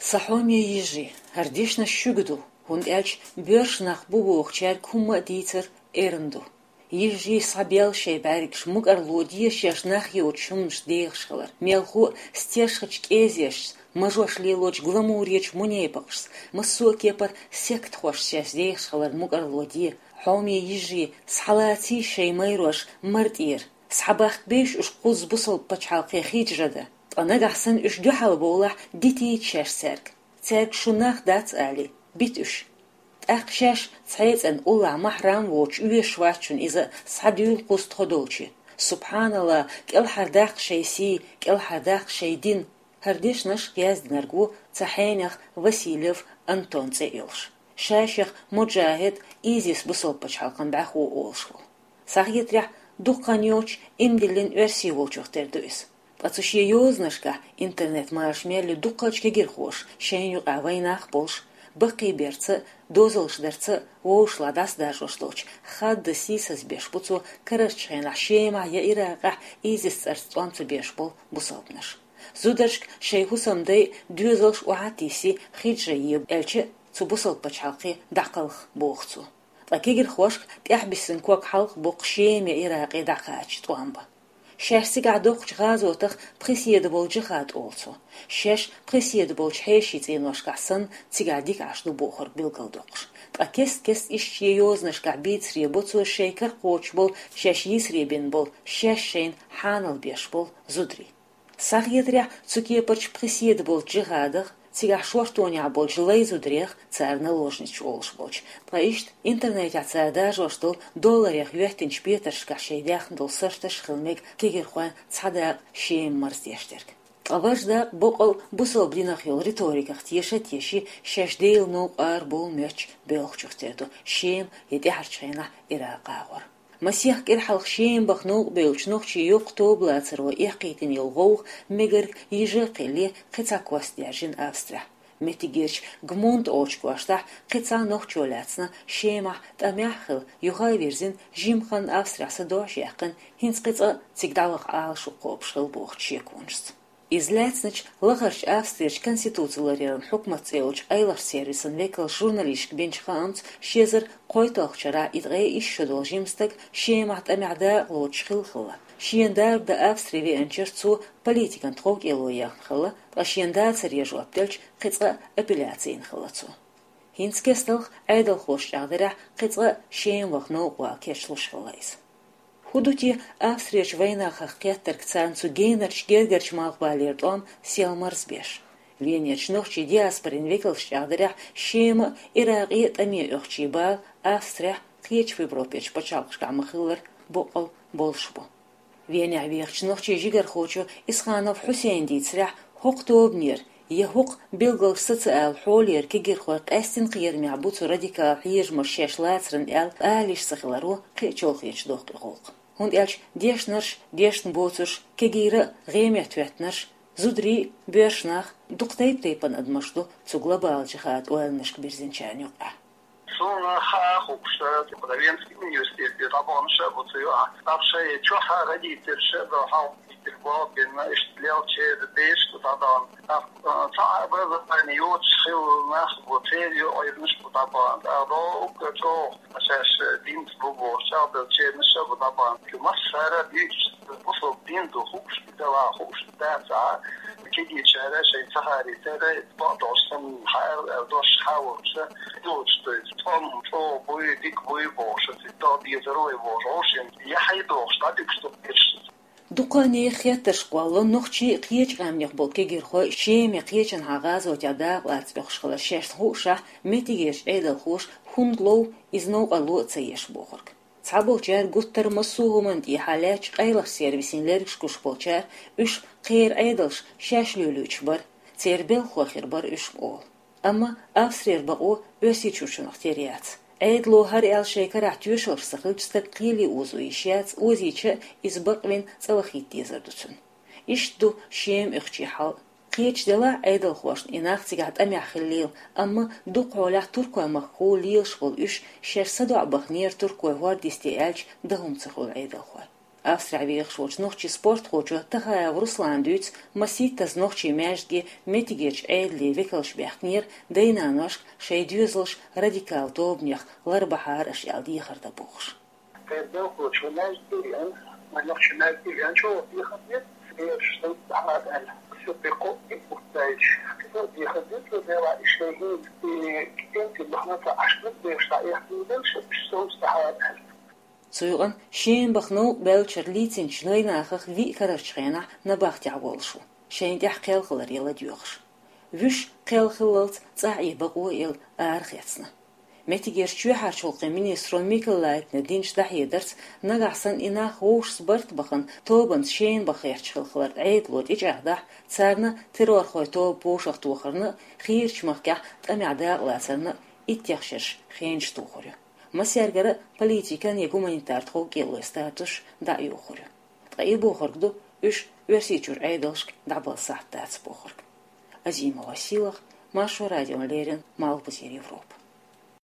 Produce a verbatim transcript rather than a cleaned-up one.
Сан хьоме йижарий, хӀара дешнаш шуьга ду, хӀунда аьлча боьрша нах бу бохучаьрга хӀумма а дийцар эрна ду. Йижарий, схьабелла шоай бӀаьргаш, мукӀарло де шаьш нах йоцучу хӀуманашца дехаш хилар, мелхо а стешхачу кӀезешца, мажош лелочу гламуречу мунепакъашца, массо а кепара сектахошца шаьш дехаш хилар мукӀарло де. Хьоме йижарий, схьалацийша шайн майрош мара тӀера, схьабахкабейша уьш кхузза бусалба пачхьалкхе хиджра дан, ткъа нагахь санна уьш дуьхьал бовлахь, дитийта шаьш цаьрга. Цаьрга шу нах дац алий, бита уьш. ТӀаккха шаьш цхьаьна цӀена уллохь махьрам а воцуш оьшуш вац шуна иза, схьадуьйла кхузза тхо долчу. СубхьаналлахӀ, кӀелхьардаккха шайн сий, кӀелхьардаккха шайн дин. ХӀара дешнаш яздинарг ву цхьа хьенех Васильев Антон цӀе йолуш. Ша шех муджахӀид, ИЗИС бусалба пачхьалкхан бӀаьхо олуш волу. Схьахетарехь, дукха хан йоцуш иман диллина оьрси волчух тера ду иза. Ткъа цу шен йозанашкахь, интернет-машанаш мел ю, дуккхачу кегирхоша, шайна юкъахь вайнах а болуш, баккхийберца а, дозаллаш дарца а вовшашлахь дӀасадаржош долчу хаддан сийсаз беш бу цо карарчу хенахь Шемахь я Иракъехь ИЗИС цӀарца тӀом ца беш болу бусалбанаш. Зударшка шайн хӀусамдай, доьзалш охьа а тиссий, хиджра е аьлча а, цу бусалба пачхьалкхе дӀакхалха, боху цо. Ткъа кегирхошка тӀаьхьабиссина ког хьалха боккху Шема я Иракъе дӀакхача тӀом бан. Шаьш цигахь доккхучу гӀазотах пхи седа болу джихад олу цо. Шаьш пхи седа болчу хьешийн цӀеношкахь санна, цигахь дика Ӏаш ду бохург билгалдоккхуш. Ткъа кест-кеста иштта шен йозанашкахь бийцаре бо цо шайн кара кхочуш болу, шаьш йийсаре бина болу, шаьш шайна хьанал беш болу зударий. Схьахетарехь, цу кепарчу пхи седа болчу джихадах, цигахь шортонехь болчу лай зударех, цара наложниц олуш болчу, ткъа иштта интернетехь цара даржош долу долларех йоьттинчу петаршкахь шайн даьхна долу сарташ а хила мега кегирхойн цхьа дакъа Шема марздеш дерг. Ткъа важа дакъа боккъал бусалба динах йолу риториках теша а теший, шаьш Делан новкъа арабовла моьттучу боьлхучух тера ду Шема я тӀаьхьарчу хенахь Иракъ агӀор. Масех кӀира хьалха Шема баха новкъа бевллачу нохчийн йоккха тоба лацаро эккхийтина йолу гӀовгӀа мегарг йижа а кхиъна, кхин цхьа кост даьржина Австрехь. Меттигерчу Гмунд олучу коштахь кхин цхьа нохчо лаьцна Шемахь тӀамехь а хилла, юха а вирзина, жимма хан Австрехь садоӀуш яьккхина, хӀинца кхин цкъа а цига дӀаваха Ӏалашо кхобуш хилла бохучу шеконашца. Иза лаьцначу лахарчу Австрерчу конституци ларъяран хьукмат цӀе йолчу къайлахчу сервисан векалша журналисташка бинчу хаамца, ши эзар кхойтталгӀачу шарахь и ткъе исс шо долу жима стаг Шемахь тӀамехь дакъа лоцуш хилла-хилла, шена дарба дан Австри веанчуьра цо политикан тховкӀело ехна хилла, ткъа шена дацаре жоп делча, кхин цкъа а апелляци йина хилла цо. ХӀинца кесталха Ӏедалхоша чӀагӀдарехь, кхин цкъа а Шема ваха новкъа вала кечлуш хилла иза. ХӀун ду те Австрерчу вайнахах кхеттарг царна цу генарчу гергарчу малхбалера тӀом сел марзбеш? Венерчу нохчийн диаспорин векалша чӀагӀдарехь, Шема а, Иракъе а тӀаме оьхучийн бала Австрехь, кхечу Европерчу пачхьалкхашкахь ма-хиллара, боккъал болуш бу. Венехь вехачу нохчийн жигархочо Исханов Хьусейна дийцарехь, хӀокху тобанера я хӀокху билгалш сацаала хьолера кегирхой къаьстина кхерамехь бу цу радикал хьежамаша шаьш лацаран аьлла алийша ца хиларо кхин а чолхечу доккху и гӀуллакх. ХӀунда аьлча дешнарш, дешна боцурш, кегийра а гӀеметтахӀоьттинарш, зударий а, боьрша нах а, дукха тайп-тайпана адамаш ду цу глобалан джихадан ойланашка бирзинчарна юкъахь. Суна хаа хууш, Венский университет де дӀабаханаш а бу цу юкъахь. ТӀаккха шайн чохь а родителаш а бу хьалха Итт боху бина, иштта лелча дезаш ду дӀадахана. ТӀаккха, а, цхьа а образование йоцуш хилла нах бу, церан йоӀ йинарш бу дӀабахана. ТӀаккха доггу чӀогӀа шаьш динца бу бохуш, чӀагӀделлачернаш а бу дӀабахана. Массара а дуьйцуш, бусалба дин ду хууш, дела хууш дац а, кегийчара шайн ца харийтара, бакъдолуш санна хьаьрла аьлла дош хьа а волуш, йоцуш ду иза. ТӀом чӀогӀа буй, дика буй бохуш, цига догӀа дезар вай бохуш, вовшийн яхье дохуш, дӀадуьгуш ду кхечу. Дукха нехан хеттарш кхоллало нохчий а, кхечу къаьмнех болу кегирхой Шема я кхечанхьа гӀазотехь дакъа лаца боьхуш хилар шаьш хуушшехь, меттигерчу Ӏедалхоша хӀунда лов иза новкъарло а ца еш бохург. Цхьаболчара гуттар а массо а хӀуманна тӀехьа лаьттачу къайлахчу сервисийн лергаш гуш болчара уьш кхеран Ӏедалш шаьш лелуьйтуш бара, церан белхахой хир бара уьш олу. Амма Австрера бакъо Оьрсийчуьрчунах тера яц. Ӏедало хӀара аьлла шайн карахь тоьшаллаш ца хилча, стаг кхеле озо йиш яц, озийча а иза бакъвина цӀа вахийта дезар ду цуьнан. Иштта ду Шема оьхучийн хьал а. Кхечу делахь а Ӏедалхошна и нах цигахь тӀамехь хиллийла, амма дукха хьолахь туркойн махкахула лелаш волу уьш шаьш садоӀу баханера туркойн хӀорда йисте аьлча, дан хӀума ца хуьлу Ӏедалхойн. Австрехь вехаш волчу нохчийн спортхочо Тахаев Руслана дуьйцу, маситтаза нохчийн маьждиге меттигерчу Ӏедалан векалш баьхкинера дайнаношка шайн доьзалш радикал тобанех ларбахьара аша аьлла дехар дан бохуш. Тхайн белхалочо маьждиге веана, вайн нохчийн маьждиге веана, чӀогӀа дехар дира, бераш совцахьара аьлла. Все прикол и пустаечи. Все дехар дира, цо дела и шайн хӀинца и китенти бахана ца Ӏаш бераш дӀаэхна бераш, уьш совцахьара аьлла. Цу юкъана шена баха новкъа баьллачара лийцинчу вайнахах виъ карарчу хенахь набахтехь волуш ву, шайна тӀехь кхел хиларе ладоьгӀуш. Вуьш кхел хиллалц цӀахь и бакъо а елла арахецна. Меттигерчу чоьхьарчу гӀуллакхийн министро Микола Лайтнера динчу дӀахьедарца, нагахь санна и нах вовшашца барт бахана, тобанца шена баха гӀерташ хилла хилар Ӏедало тӀечӀагӀдахь, царна террорхойн тоба вовшахтохарна а, хийрачу махкахь тӀамехь дакъалацарна а иттех шераш хенаш тухур ю. Массаьргара а политикан я гуманитар тхов кӀелой статусаш дӀа а йохур ю. Ткъа и бохург ду, уьш Оьрсийчуьра Ӏедалшка дӀабала сахьт дац бохург. Азимова Силах, Маршо радиона леррина, Малхбузера Европа.